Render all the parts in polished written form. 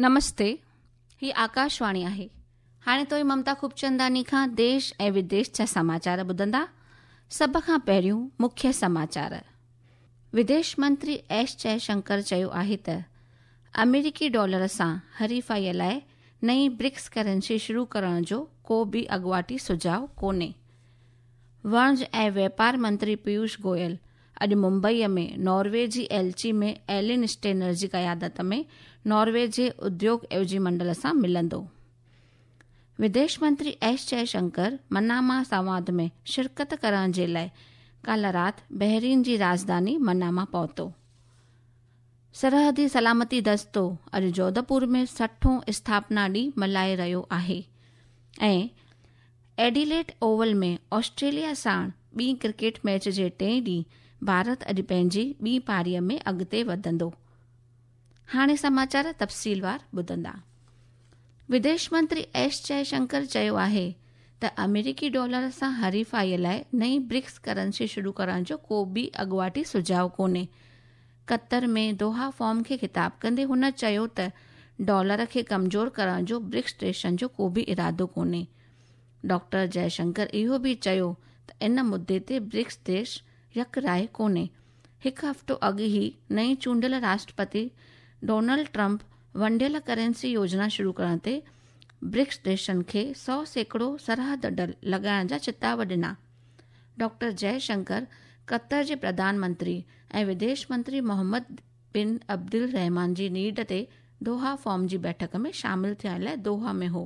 نمستي، هي آڪاشواڻي آهي. هاڻي توهين ممتا خوبچنداني کان ديش ۽ وديش جا سماچار ٻڌندا. سڀ کان پهريون مکيه سماچار. وديش منتري ايس جئشنڪر چيو آهي ته آمريڪي ڊالر سان حريفائي لاء نئين برڪس ڪرنسي شروع ڪرڻ جو ڪو به اڳواٽي سجهاء ڪونهي. وڻج ۽ واپار منتري پيوش گويل اڄ ممبئيء ۾ ناروي جي ايلچي ۾ ايلين اسٽينر جي قيادت ۾ ناروي جي اديوگ عيوضي منڊل سان ملندو. وديش منتري ايس جئه شنڪر مناما سنواد ۾ شرڪت ڪرڻ جي لاء ڪالهه رات بحرين جي راڄڌاني مناما پهتو. سرحدي سلامتي دستو اڄ جوڌپور ۾ سٺون اسٿاپنا ڏينهن ملهائي رهيو آهي ۽ ايڊيليڊ اوول ۾ آسٽريليا ساڻ ٻي ڪرڪيٽ ميچ جي ٽئين ڏينهن ڀارت اڄ پنهنجي ٻي پاري ۾ اڳتي وڌندو. هاڻي سماچار تفصيلوار ٻڌندا. وديش منتري ايس جئه شنڪر چيو آهي ته آمريڪي ڊالر سان حريفائي لاء نئين برڪس ڪرنسي شروع ڪرڻ جو ڪو به اڳواٽي سجهاء ڪونهي. قطر ۾ دوحا فورم کي خطاب ڪندي هن چيو ته ڊالر کي ڪمزور ڪرڻ جو برڪس ديشن جو ڪو به ارادو ڪونهي. ڊاڪٽر جئه شنڪر اهو به چيو ته ان مدي تي برڪس ديش يڪ راء ڪونهي. هڪ هفتو اڳ ئي نئين چونڊيل راشٽرپتي ڊونلڊ ٽرمپ ونڊيل ڪرنسي يوجنا شروع ڪرڻ تي برڪس ديشن کي 100% سرحد ڊل لڳائڻ جا چتاء ڏنا. ڊاڪٽر جئه شنڪر قطر جي پرڌان منتري ۽ وديش منتري محمد بن عبدالرحمان جي نيڊ تي دوحا فورم جي بيٺڪ ۾ شامل ٿيڻ لاء دوحا ۾ هو.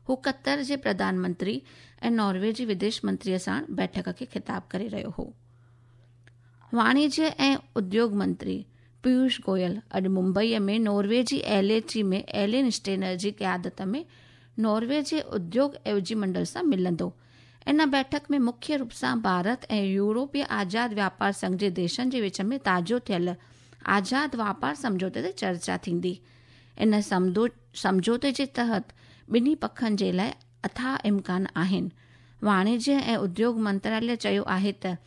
هو قطر جي پرڌان منتري ۽ ناروي جي وديش منتري ساڻ بيٺڪ کي خطاب ڪري رهيو هو. واڻجيه ۽ اديوگ منتري پيوش گويل اڄ ممبئي ۾ ناروي جي ايل ايچ اي ۾ ايلين اسٽينر جي قيادت ۾ ناروي جي اديوگ عيوضي منڊل سان ملندو. ان بيٺڪ ۾ مکيه روپ سان ڀارت ۽ يورپي آزاد واپار سنگهه جي ديشن جي وچ ۾ تازو ٿيل آزاد واپار سمجهوتي تي چرچا ٿيندي. ان سمجهوتي جي تحت ٻنهي پکن جي لاء اٿاهه امڪان آهن. واڻجيه ۽ اديوگ منتراليه چيو آهي ته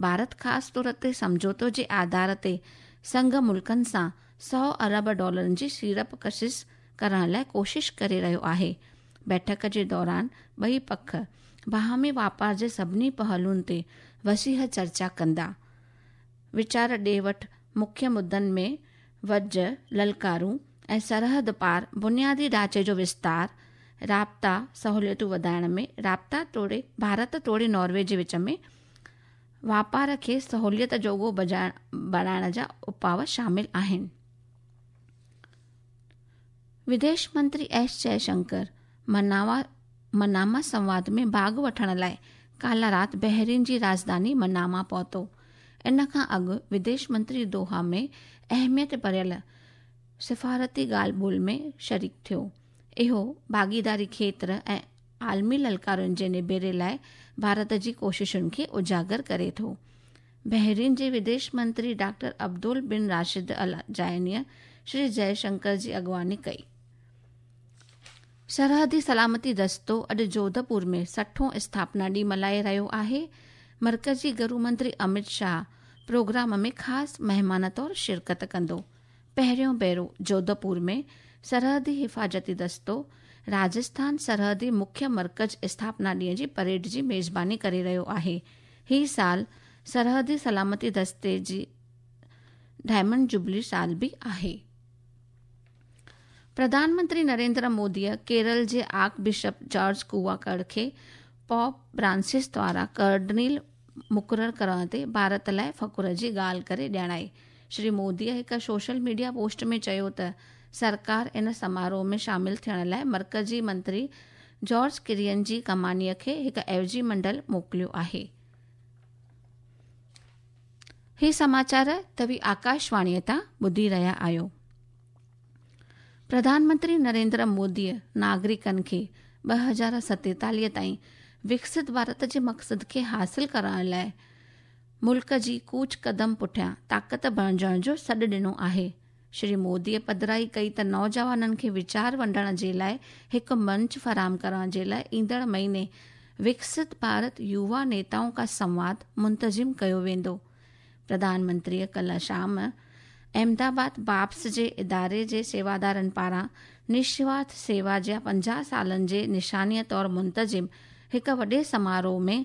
ڀارت خاص طور تي سمجهوتو جي آڌار تي سنگهه ملڪن سان 100 ارب ڊالرن جي سيڙپ ڪشش ڪرڻ لاء ڪوشش ڪري رهيو آهي. بيٺڪ جي دوران ٻئي پک باهمي واپار جي سڀني پهلوئن تي وسيع چرچا ڪندا. ويچار ڏي وٺ مکيه مدن ۾ وڄ، للڪارون ۽ سرحد پار بنيادي ڍانچي جو وستار، رابطا سهوليتون وڌائڻ ۾ رابطا توڙي ڀارت توڙي ناروي جي وچ ۾ واپار کي سهوليت جوڳو بڻائڻ جا اپاء شامل آهن. وديش منتري ايس جئه شنڪر مناما سنواد ۾ ڀاڳ وٺڻ لاء ڪالهه رات بحرين جي راڄڌاني مناما پهتو. ان کان اڳ وديش منتري دوحا ۾ اهميت ڀريل سفارتي ڳالهه ٻولهه ۾ شريڪ ٿيو. اهو ڀاڳيداري کيتر ۽ عالمي للڪارن جي نبيري لاء ڀارت جي ڪوششن کي اجاگر ڪري ٿو. بحرين جي وديش منتري ڊاڪٽر عبدال بن راشد الزيانيء شري جئه شنڪر جي اڳواڻي ڪئي. سرحدي سلامتي دستو اڄ جوڌپور ۾ سٺون اسٿاپنا ڏينهن ملهائي رهيو آهي. مرڪزي گهرو منتري امت شاهه پروگرام ۾ خاص مهمان طور شرڪت ڪندو. پهريون ڀيرو جوڌپور ۾ سرحدي حفاظتي دستو راجسٿان سرحدي مکيه مرڪز اسٿاپنا ڏينهن جي پريڊ جي ميزباني ڪري رهيو آهي. هي سال سرحدي سلامتي دستي جي ڊائمنڊ جوبلي سال به آهي. پرڌان منتري نريندر موديء ڪيرل جي آرڪ بشپ جارج ڪوواڪڙ کي پوپ فرانسس دواران ڪارڊنل مقرر ڪرڻ تي ڀارت لاء فخر جي ڳالهه ڪري ڄاڻائي. شري موديء هڪ سوشل ميڊيا پوسٽ ۾ چيو ته سرڪار ان سماروهه ۾ شامل ٿيڻ لاء مرڪزي منتري جارج ڪرين جي ڪمانيء کي هڪ عيوضي منڊل موڪليو آهي. هي سماچار توهين آڪاشواڻيء تان ٻڌي رهيا آهيو. پرڌان منتري نريندر موديء ناگرڪن کي 2047 تائين وڪست ڀارت جي مقصد کي حاصل ڪرڻ لاء ملڪ جي ڪوچ قدم پٺيان طاقت بڻجڻ جو سڏ ڏنو آهي. شري موديء پڌرائي ڪئي ته نوجوانن کي ويچار ونڊڻ جي لاء هڪ منچ فراهم ڪرڻ جي لاء ايندڙ مهيني وڪست ڀارت يووا نيتائون ڪا سنواد منتظم ڪيو ويندو. پرڌان منتريء ڪلهه شام احمدآباد باپس جي اداري جي سيوادارن پاران نشوارٿ سيوا جي 50 سالن جي نشانيء طور منتظم هڪ وڏي سماروهه ۾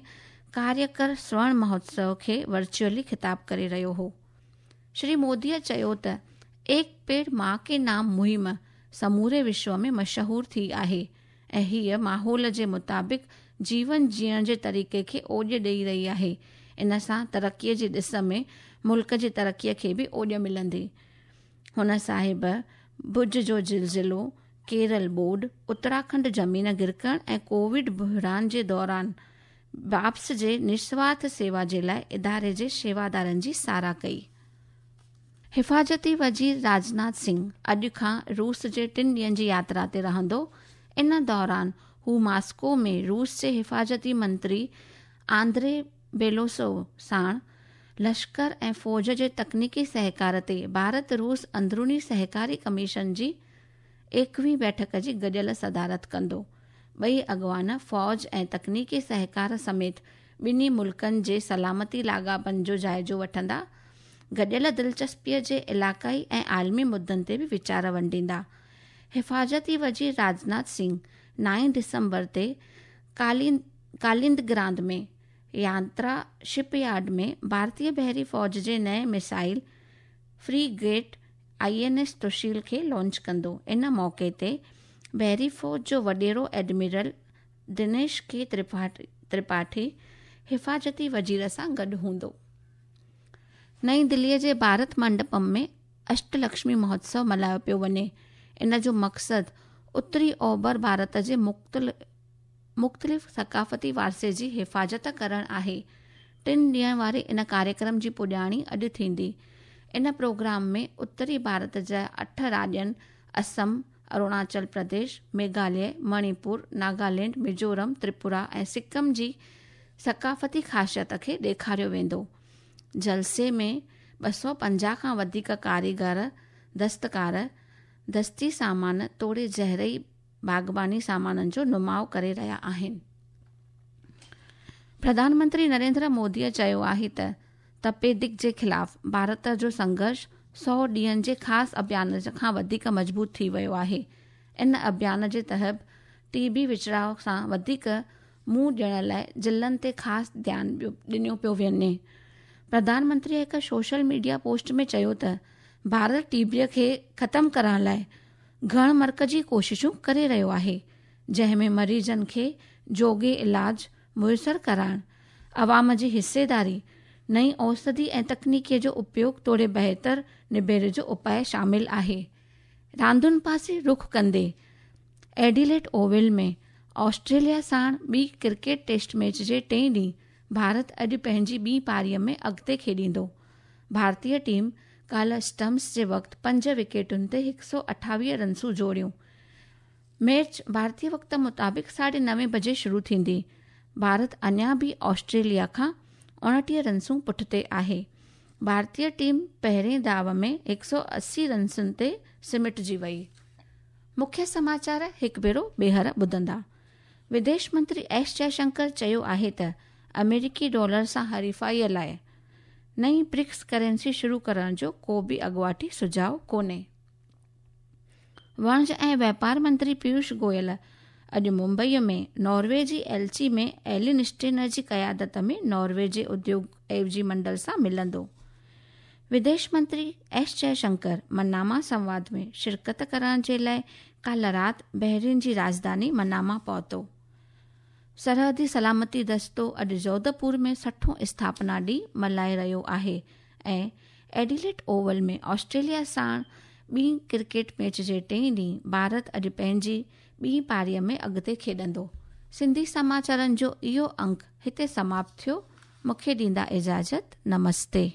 ڪاريڪر سورڻ مهوتسو کي ورچوئلي خطاب ڪري رهيو هو. شري موديء چيو ته ايڪ پيڙ مان ڪي نام مهم سموري وشو ۾ مشهور ٿي آهي ۽ هيء ماحول جي مطابق جيون جيئڻ جي طريقي کي اوڄ ڏئي رهي آهي، ان سان ترقيء جي ڏس ۾ ملڪ جي ترقيء کي به اوڄ ملندي. هن صاحب ڀڄ جو زلزلو، ڪيرل ٻوڏ، اتراکنڊ زمين گرڪڻ ۽ ڪووڊ بحران جي دوران باپس جي نسوارٿ سيوا جي لاء اداري جي شيوادارن جي ساراهه ڪئي. حفاظتي وزير راجناٿ سنگهه اڄ کان روس جي ٽن ڏينهن جي ياترا تي رهندو. ان دوران هو ماسڪو ۾ روس جي حفاظتي منتري آندري بيلوسوو ساڻ لشڪر ۽ فوج جي تڪنيڪي سهڪار تي ڀارت روس اندروني سهڪاري ڪميشن جي ايڪويهين بيٺڪ جي گڏيل صدارت ڪندو. ٻئي اڳواڻ فوج ۽ تڪنيڪي سهڪار سميت ٻنهي ملڪن جي سلامتي لاڳاپن جو جائزو وٺندا. گڏيل دلچسپيء جي علائقائي ۽ عالمي مدن تي به ويچار ونڊيندا. حفاظتي وزير راجناٿ سنگهه نائين ڊسمبر تي ڪاليندگراند ۾ يانترا شپ يارڊ ۾ ڀارتي بحري فوج جي نئين missile frigate I N S Tushil کي لانچ ڪندو. ان موقعي تي بحري فوج جو وڏيرو ايڊمرل دنيش ڪي ترپاٺي حفاظتي وزير سان گڏ هوندو. نئين دليء جي ڀارت منڊپم ۾ اشٽ لڪشمي مهوتسو ملهايو پيو وڃي. ان جو مقصد اتري اوڀر ڀارت جي مختلف ثقافتي ورثي جي حفاظت ڪرڻ آهي. ٽن ڏينهن واري ان ڪاريڪرم جي پڄاڻي اڄ ٿيندي. ان پروگرام ۾ اتري ڀارت جا اٺ راڄين اسم، اروناچل پرديش، ميگهاليه، مڻيپور، ناگالينڊ، ميزورم، تريپورا ۽ سڪم جي ثقافتي خاصيت کي ڏيکاريو ويندو. جلسي ۾ 250 کان وڌيڪ ڪاريگر، دستڪار، دستي سامان توڙي زرعي باغباني سامانن جو نماء ڪري رهيا آهن. پرڌان منتري نريندر موديء چيو آهي ته تپيدڪ جي خلاف ڀارت جو سنگهرش سؤ ڏينهن جي خاص اڀيان کان وڌيڪ مضبوط ٿي ويو آهي. ان اڀيان جي تحت ٽي بي وچڙاء سان وڌيڪ منهن ڏيڻ لاء ضلعن تي خاص ڌيان ڏنو پيو وڃي. پرڌان منتري هڪ سوشل ميڊيا پوسٽ ۾ چيو ته ڀارت ٽي بي کي ختم ڪرڻ لاء گهڻ مرڪزي ڪوششون ڪري رهيو آهي، جنهن ۾ مريضن کي جوڳي علاج ميسر ڪرائڻ، عوام جي حصيداري، نئين اوسڌي ۽ تڪنيڪي جو اپيوگ توڙي بهتر نبيري جو اپاء شامل آهي. راندن پاسي رخ ڪندي ايڊيليڊ اوول ۾ آسٽريليا ساڻ ٻي ڪرڪيٽ ٽيسٽ ميچ جي ٽئين ڏينهن ڀارت اڄ پنهنجي ٻي پاري ۾ اڳتي کيڏيندو. ڀارتي ٽيم ڪالهه اسٽمپس جي وقت پنج وڪيٽن تي 128 رنسون جوڙيون. ميچ ڀارتي وقت مطابق ساڍي نوين بجي شروع ٿيندي. ڀارت اڃا به آسٽريليا کان 29 رنسون پٺتي آهي. ڀارتي ٽيم پهرين داء ۾ 180 رنسن تي سمٽجي وئي. مکيه سماچار هڪ ڀيرو ٻيهر ٻڌندا. وديش منتري ايس جئشنڪر چيو آهي ته آمريڪي ڊالر سان حريفائي لاء نئين برڪس ڪرنسي شروع ڪرڻ جو ڪو به اڳواٽي سجهاء ڪونهي. وڻج ۽ واپار منتري پيوش گويل اڄ ممبئي ۾ ناروي جي ايلچي ۾ ايلين اسٽينر جي قيادت ۾ ناروي جي اديوگ عيوضي منڊل سان ملندو. وديش منتري ايس جئه شنڪر مناما سنواد ۾ شرڪت ڪرڻ جي لاء ڪالهه رات بحرين جي راڄڌاني مناما پهتو. سرحدي سلامتي دستو اڄ جوڌپور ۾ سٺون اسٿاپنا ڏينهن ملهائي رهيو آهي ۽ ايڊيليڊ اوول ۾ آسٽريليا ساڻ ٻي ڪرڪيٽ ميچ جي ٽئين ڏينهن ڀارت اڄ پنهنجي ٻي پاري ۾ اڳتي کيڏندو. سنڌي سماچارن جو اهو انڪ هتي سماپت ٿيو. مون کي ڏيندا اجازت. نمستي.